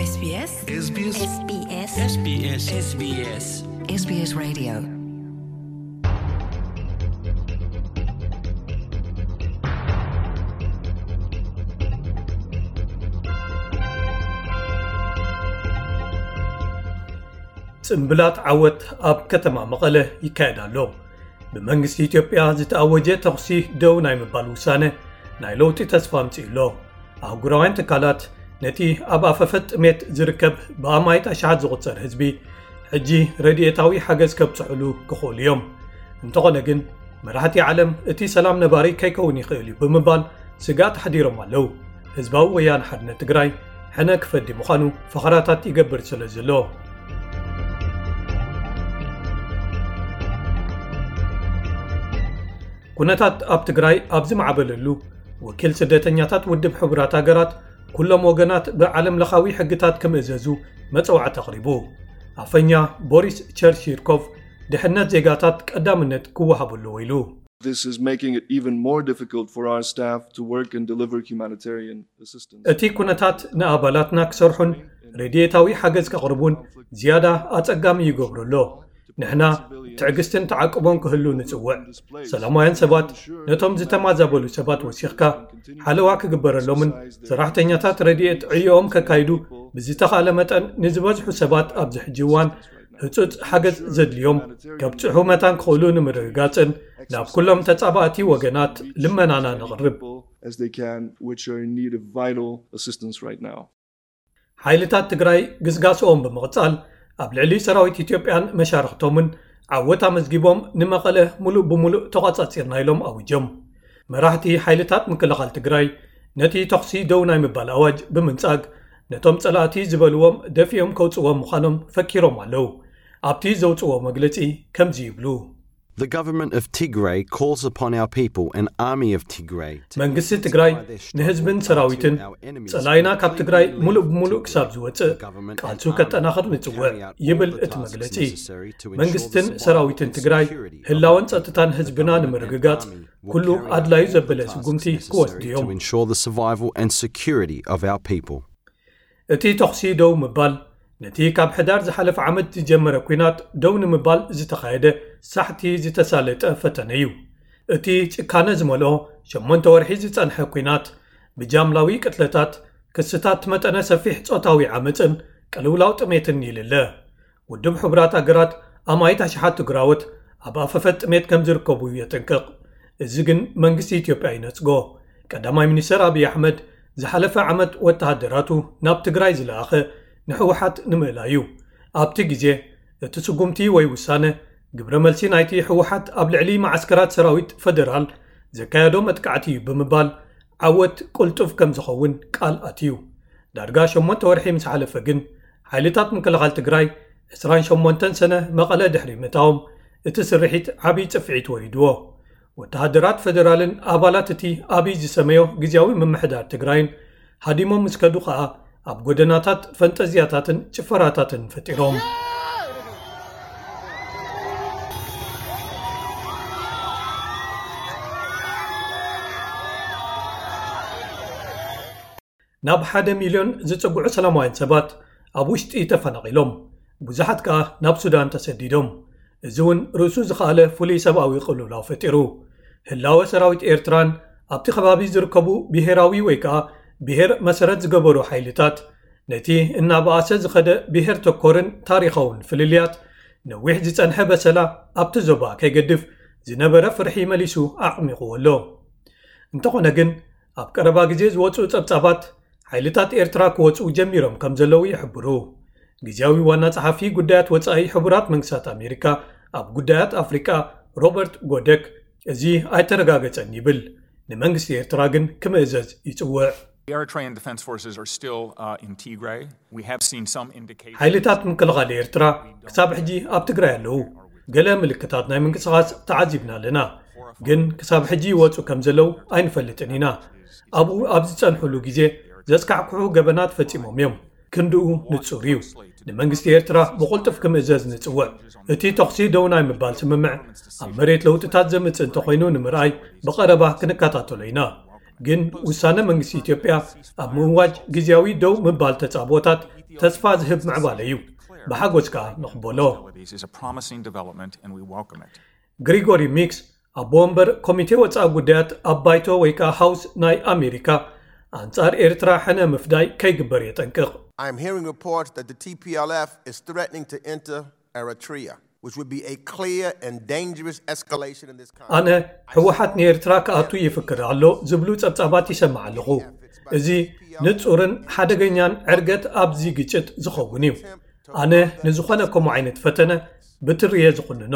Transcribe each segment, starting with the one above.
SBS SBS SBS SBS SBS SBS Radio. ጽምብላት ዓወት ኣብ ከተማ መቐለ ይካየድ ኣሎ። ብመንግስቲ ኢትዮጵያ ዝተኣወጀ ተኹሲ ደው ናይ ምባል ውሳነ ናይ ለውጢ ተስፋ ኣምጺኡ ኣሎ። ኣህጉራውያን ትካላት ነቲ ኣብ ኣፈፈት ጥሜት ዝርከብ ብኣማይት ኣሽሓት ዝቑጸር ህዝቢ ሕጂ ረድኤታዊ ሓገዝ ከብጽሑሉ ክኽእሉ እዮም። እንተኾነ ግን መራሕቲ ዓለም እቲ ሰላም ነባሪ ከይከውን ይኽእል እዩ ብምባል ስግኣት ኣሕዲሮም ኣለዉ። ህዝባዊ ወያነ ሓርነት ትግራይ ሕነ ክፈዲ ምዃኑ ፈኸራታት ይገብር ስለ ዘሎ። ኩነታት ኣብ ትግራይ ኣብ ዝማዕበለሉ ወኪል ስደተኛታት ውድብ ሕቡራት ሃገራት ኩሎም ወገናት ብዓለም ለኻዊ ሕግታት ክምእዘዙ መጸዋዕታ ኣቕሪቡ። ኣፈኛ ቦሪስ ቸርሺርኮቭ ድሕነት ዜጋታት ቀዳምነት ክወሃቡ ኣለዎ ኢሉ። This is making it even more difficult for our staff to work and deliver humanitarian assistance. እቲ ኩነታት ንኣባላትና ክሰርሑን ረድኤታዊ ሓገዝ ከቕርቡን ዝያዳ ኣጸጋሚ ይገብሮ ኣሎ። ንሕና ትዕግስትን ተዓቅቦን ክህሉ ንጽውዕ። ሰላማውያን ሰባት ነቶም ዝተማዛበሉ ሰባት ወሲኽካ ሓለዋ ክግበረሎምን ሰራሕተኛታት ረድኤት ዕዮኦም ከካይዱ ብዝተኻእለ መጠን ንዝበዝሑ ሰባት ኣብዚ ሕጂ እዋን ህጹጽ ሓገዝ ዘድልዮም ከብጽሑ መታን ክኽእሉ ንምርግጋጽን ናብ ኩሎም ተጻባእቲ ወገናት ልመናና ነቕርብ። As they can, which are in need of vital assistance right now. ሓይልታት ትግራይ ግስጋስኦም ብምቕጻል ኣብ ልዕሊ ሰራዊት ኢትዮጵያን መሻርኽቶምን ዓወት ኣመዝጊቦም ንመቐለ ሙሉእ ብሙሉእ ተቋጻጺርና ኢሎም ኣውጆም። መራሕቲ ሓይልታት ምክልኻል ትግራይ ነቲ ተኹሲ ደው ናይ ምባል ኣዋጅ ብምንጻግ ነቶም ጸላእቲ ዝበልዎም ደፊኦም ከውጽዎም ምዃኖም ፈኪሮም ኣለዉ። ኣብቲ ዘውጽዎ መግለጺ ከምዚ ይብሉ። The government of Tigray calls upon our people, an army of Tigray, to መንግስቲ ትግራይ ንህዝብን ሰራዊትን ጸላይና ካብ ትግራይ ሙሉእ ብሙሉእ ክሳብ ዝወጽእ ቃልሱ ከጠናኽር ንጽውዕ ይብል እቲ መግለጺ። መንግስትን ሰራዊትን ትግራይ ህላወን ጸጥታን ህዝብና ንምርግጋጽ ኩሉ ኣድላዩ ዘበለ ስጉምቲ ክወስዱ እዮም። To ensure the survival and security of our people. እቲ ተኹሲ ደው ምባል ነቲ ካብ ሕዳር ዝሓለፈ ዓመት ዝጀመረ ኲናት ደው ንምባል ዝተኻየደ ሳሕቲ ዝተሳለጠ ፈተነ እዩ። እቲ ጭካነ ዝመልኦ ሸሞንተ ወርሒ ዝጸንሐ ኲናት ብጃምላዊ ቅትለታት፣ ክስታት መጠነ ሰፊሕ ጾታዊ ዓመጽን ቅልውላው ጥሜትን ይልለ። ውድብ ሕቡራት ኣገራት ኣማኢት ኣሽሓት ትግራዎት ኣብ ኣፈፈት ጥሜት ከም ዝርከቡ የጠንቅቕ። እዚ ግን መንግስቲ ኢትዮጵያ ይነጽጎ። ቀዳማይ ሚኒስተር ኣብይ ኣሕመድ ዝሓለፈ ዓመት ወተሃደራቱ ናብ ትግራይ ዝለኣኸ ንህወሓት ንምእላይ እዩ። ኣብቲ ግዜ እቲ ስጉምቲ ወይ ውሳነ ግብረ መልሲ ናይቲ ህወሓት ኣብ ልዕሊ መዓስከራት ሰራዊት ፈደራል ዘካየዶ መጥቃዕቲ እዩ ብምባል ዓወት ቅልጡፍ ከም ዝኸውን ቃል ኣትዩ። ዳርጋ ሸሞንተ ወርሒ ምስ ሓለፈ ግን ሓይልታት ምክልኻል ትግራይ ዕስራን ሸሞንተን ሰነ መቐለ ድሕሪ ምእታዎም እቲ ስርሒት ዓብዪ ጽፍዒት ወሪድዎ። ወተሃደራት ፈደራልን ኣባላት እቲ ኣብይ ዝሰመዮ ግዝያዊ ምምሕዳር ትግራይን ሃዲሞም ምስ ከዱ ኸኣ ኣብ ጎደናታት ፈንጠዝያታትን ጭፈራታትን ፈጢሮም። ናብ ሓደ ሚልዮን ዝጽግዑ ሰላማውያን ሰባት ኣብ ውሽጢ ተፈናቒሎም፣ ብዙሓት ከኣ ናብ ሱዳን ተሰዲዶም። እዚ እውን ርእሱ ዝኸኣለ ፍሉይ ሰብኣዊ ቅልውላው ፈጢሩ። ህላወ ሰራዊት ኤርትራን ኣብቲ ከባቢ ዝርከቡ ብሄራዊ ወይ ከኣ ብሄር መሰረት ዝገበሩ ሓይልታት ነቲ እናበኣሰ ዝኸደ ብሄር ተኮርን ታሪኻውን ፍልልያት ነዊሕ ዝጸንሐ በሰላ ኣብቲ ዞባ ከይገድፍ ዝነበረ ፍርሒ መሊሱ ኣዕሚቑዎ ኣሎ። እንተኾነ ግን ኣብ ቀረባ ግዜ ዝወጹ ጸብጻባት ሓይልታት ኤርትራ ክወጹ ጀሚሮም ከም ዘለዉ ይሕብሩ። ግዝያዊ ዋና ጸሓፊ ጉዳያት ወጻኢ ሕቡራት መንግስታት ኣሜሪካ ኣብ ጉዳያት ኣፍሪቃ ሮበርት ጎደክ እዚ ኣይተረጋገጸን ይብል። ንመንግስቲ ኤርትራ ግን ክምእዘዝ ይጽውዕ። The Eritrean Defense Forces are still uh, in Tigray. We have seen some indication. ሓይልታት ምክልኻል ኤርትራ ክሳብ ሕጂ ኣብ ትግራይ ኣለዉ። ገለ ምልክታት ናይ ምንቅስቓስ ተዓዚብና ኣለና፣ ግን ክሳብ ሕጂ ይወጹ ከም ዘለዉ ኣይንፈልጥን ኢና። ኣብኡ ኣብ ዝጸንሕሉ ግዜ ዘስካሕክሑ ገበናት ፈጺሞም እዮም። ክንድኡ ንጹር እዩ። ንመንግስቲ ኤርትራ ብቕልጡፍ ክምእዘዝ ንጽውዕ። እቲ ተኹሲ ደው ናይ ምባል ስምምዕ ኣብ መሬት ለውጥታት ዘምጽእ እንተኾይኑ ንምርኣይ ብቐረባ ክንከታተሎ ኢና። ግን ውሳነ መንግስቲ ኢትዮጵያ ኣብ ምእዋጅ ግዜያዊ ደው ምባል ተጻብኦታት ተስፋ ዝህብ ምዕባለ እዩ። ብሓጎስ ከኣ ንቕበሎ። Is a promising development and we welcome it. ግሪጎሪ ሚክስ ኣቦ ወንበር ኮሚቴ ወጻኢ ጉዳያት ኣብ ባይቶ ወይ ከዓ ሃውስ ናይ ኣሜሪካ ኣንጻር ኤርትራ ሕነ ምፍዳይ ከይግበር የጠንቅቕ። I am hearing reports that the T P L F is threatening to enter Eritrea, which would be a clear and dangerous escalation in this conflict. ኣነ ህወሓት ንኤርትራ ክኣቱ ይፍክር ኣሎ ዝብሉ ጸብጻባት ይሰምዕ ኣለኹ። እዚ ንጹርን ሓደገኛን ዕርገት ኣብዚ ግጭት ዝኸውን እዩ። ኣነ ንዝኾነ ከምኡ ዓይነት ፈተነ ብትርየ ዝኹንኖ።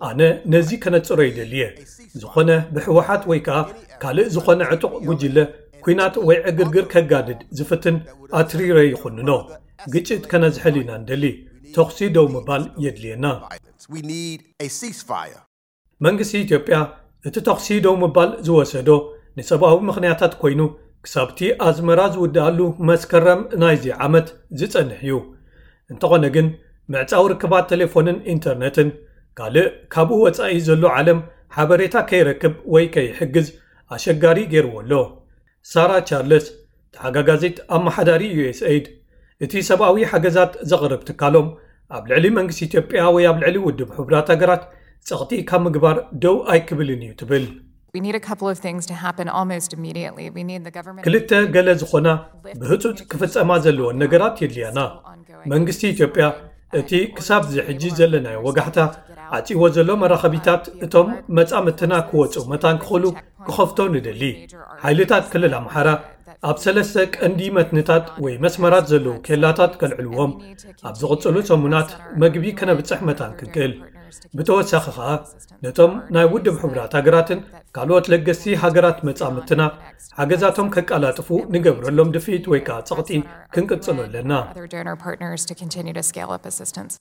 ኣነ ነዚ ከነጽሮ ይደልየ። ዝኾነ ብህወሓት ወይ ከዓ ካልእ ዝኾነ ዕጡቕ ጉጅለ ኲናት ወይ ዕግርግር ከጋድድ ዝፍትን ኣትሪረ ይኹንኖ። ግጭት ከነዝሕል ኢና ንደሊ። ተኹሲ ደው ምባል የድልየና። We need a ceasefire. መንግስቲ ኢትዮጵያ እቲ ተኹሲ ደው ምባል ዝወሰዶ ንሰብኣዊ ምኽንያታት ኮይኑ ክሳብቲ ኣዝመራ ዝውድኣሉ መስከረም ናይዚ ዓመት ዝጸንሕ እዩ። እንተኾነ ግን ምዕጻው ርክባት ቴሌፎንን ኢንተርነትን ካልእ ካብኡ ወጻኢ ዘሎ ዓለም ሓበሬታ ከይረክብ ወይ ከይሕግዝ ኣሸጋሪ ገይርዎ ኣሎ። ሳራ ቻርለስ ተሓጋጋዚት ኣመሓዳሪ ዩ ኤስ ኤይድ እቲ ሰብኣዊ ሓገዛት ዘቕርብ ትካሎም ኣብ ልዕሊ መንግስቲ ኢትዮጵያ ወይ ኣብ ልዕሊ ውድብ ሕቡራት ሃገራት ጸቕጢ ካብ ምግባር ደው ኣይክብልን እዩ ትብል። We need a couple of things to happen almost immediately. We need the government ክልተ ገለ ዝኾና ብህጹጽ ክፍጸማ ዘለወን ነገራት የድልያና። መንግስቲ ኢትዮጵያ እቲ ክሳብ እዚ ሕጂ ዘለናዮ ወጋሕታ ዓጺዎ ዘሎ መራኸቢታት እቶም መጻምትና ክወጹ መታን ክኽእሉ ክኸፍቶ ንደሊ። ሓይልታት ክልል ኣምሓራ ኣብ ሰለስተ ቀንዲ መትንታት ወይ መስመራት ዘለዉ ኬላታት ከልዕልዎም ኣብ ዝቕጽሉ ሰሙናት መግቢ ከነብጽሕ መታን ክንክእል። ብተወሳኺ ኸኣ ነቶም ናይ ውድብ ሕቡራት ሃገራትን ካልኦት ለገስቲ ሃገራት መጻምትና ሓገዛቶም ከቃላጥፉ ንገብረሎም ድፍኢት ወይ ከዓ ጸቕጢ ክንቅጽሎ ኣለና። Other donor partners to continue to scale up assistance.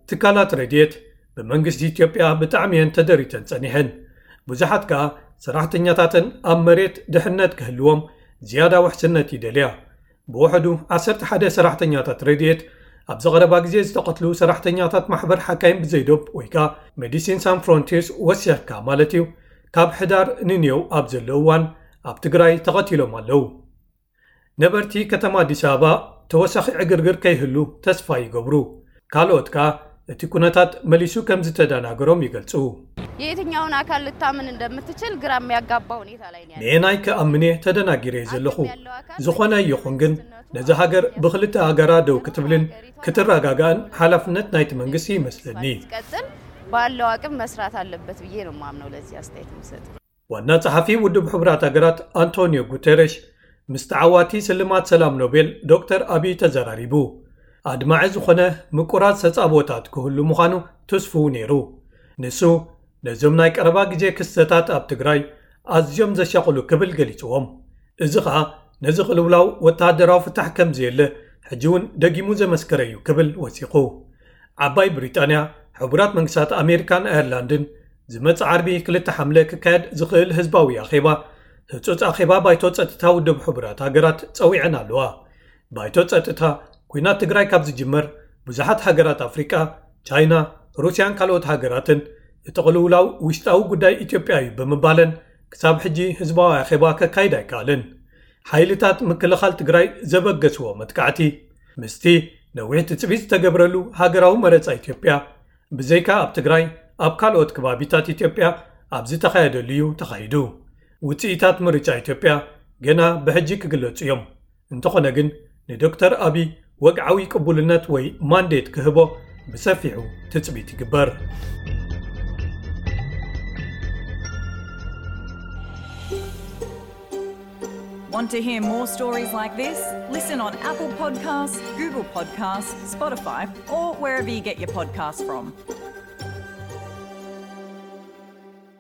ትካላት ረድኤት ብመንግስቲ ኢትዮጵያ ብጣዕሚ እየን ተደሪተን ጸኒሐን። ብዙሓት ከኣ ሰራሕተኛታተን ኣብ መሬት ድሕነት ክህልዎም ዝያዳ ውሕስነት ይደልያ። ብውሕዱ ዓሰርተ ሓደ ሰራሕተኛታት ረድኤት ኣብዚ ቀረባ ግዜ ዝተቐትሉ ሰራሕተኛታት ማሕበር ሓካይም ብዘይዶብ ወይ ከኣ ሜዲሲን ሳን ፍሮንቲርስ ወሲኽካ ማለት እዩ፣ ካብ ሕዳር ንንየው ኣብ ዘሎ እዋን ኣብ ትግራይ ተቐቲሎም ኣለዉ። ነበርቲ ከተማ ኣዲስ ኣበባ ተወሳኺ ዕግርግር ከይህሉ ተስፋ ይገብሩ። ካልኦት ከኣ እቲ ኩነታት መሊሱ ከም ዝተደናገሮም ይገልጹ። የትኛውን አካል ልታምን እንደምትችል ግራ የሚያጋባ ሁኔታ ላይ ነው ያለው። ንየናይ ክኣምን እየ ተደናጊረ እየ ዘለኹ። ዝኾነ ይኹን ግን ነዚ ሃገር ብክልተ ሃገራ ደው ክትብልን ክትረጋጋእን ሓላፍነት ናይቲ መንግስቲ ይመስለኒ። ቀጥል ባለው አቅም መስራት አለበት ብዬ ነው የማምነው ለዚህ አስተያየት የምሰጠው። ዋና ጸሓፊ ውድብ ሕቡራት ሃገራት ኣንቶኒዮ ጉተረሽ ምስ ተዓዋቲ ስልማት ሰላም ኖቤል ዶክተር ኣቢይ ተዘራሪቡ። ኣድማዒ ዝኾነ ምቁራት ተጻብኦታት ክህሉ ምዃኑ ትስፍው ነይሩ። ንሱ ነዞም ናይ ቀረባ ግዜ ክስተታት ኣብ ትግራይ ኣዝዮም ዘሻቕሉ ክብል ገሊጽዎም። እዚ ኸኣ ነዚ ቅልውላው ወተሃደራዊ ፍታሕ ከም ዘየለ ሕጂ እውን ደጊሙ ዘመስከረ እዩ ክብል ወሲኹ። ዓባይ ብሪጣንያ፣ ሕቡራት መንግስታት ኣሜሪካን ኣየርላንድን ዝመጽእ ዓርቢ ክልተ ሓምለ ክካየድ ዝኽእል ህዝባዊ ኣኼባ ህጹጽ ኣኼባ ባይቶ ጸጥታ ውድብ ሕቡራት ሃገራት ጸዊዐን ኣለዋ። ባይቶ ጸጥታ ኲናት ትግራይ ካብ ዝጅመር ብዙሓት ሃገራት ኣፍሪቃ፣ ቻይና፣ ሩስያን ካልኦት ሃገራትን እቲ ቅልውላው ውሽጣዊ ጉዳይ ኢትዮጵያ እዩ ብምባለን ክሳብ ሕጂ ህዝባዊ ኣኼባ ከካይድ ኣይከኣልን። ሓይልታት ምክልኻል ትግራይ ዘበገስዎ መጥቃዕቲ ምስቲ ነዊሕ ትጽቢት ዝተገብረሉ ሃገራዊ መረጻ ኢትዮጵያ ብዘይካ ኣብ ትግራይ ኣብ ካልኦት ከባቢታት ኢትዮጵያ ኣብ ዝተኻየደሉ እዩ ተኻይዱ። ውጽኢታት ምርጫ ኢትዮጵያ ገና ብሕጂ ክግለጹ እዮም። እንተኾነ ግን ንዶክተር ኣቢይ ወግዓዊ ቅቡልነት ወይ ማንዴት ክህቦ ብሰፊሑ ትጽቢት ይግበር። Want to hear more stories like this? Listen on Apple Podcasts, Google Podcasts, Spotify, or wherever you get your podcasts from.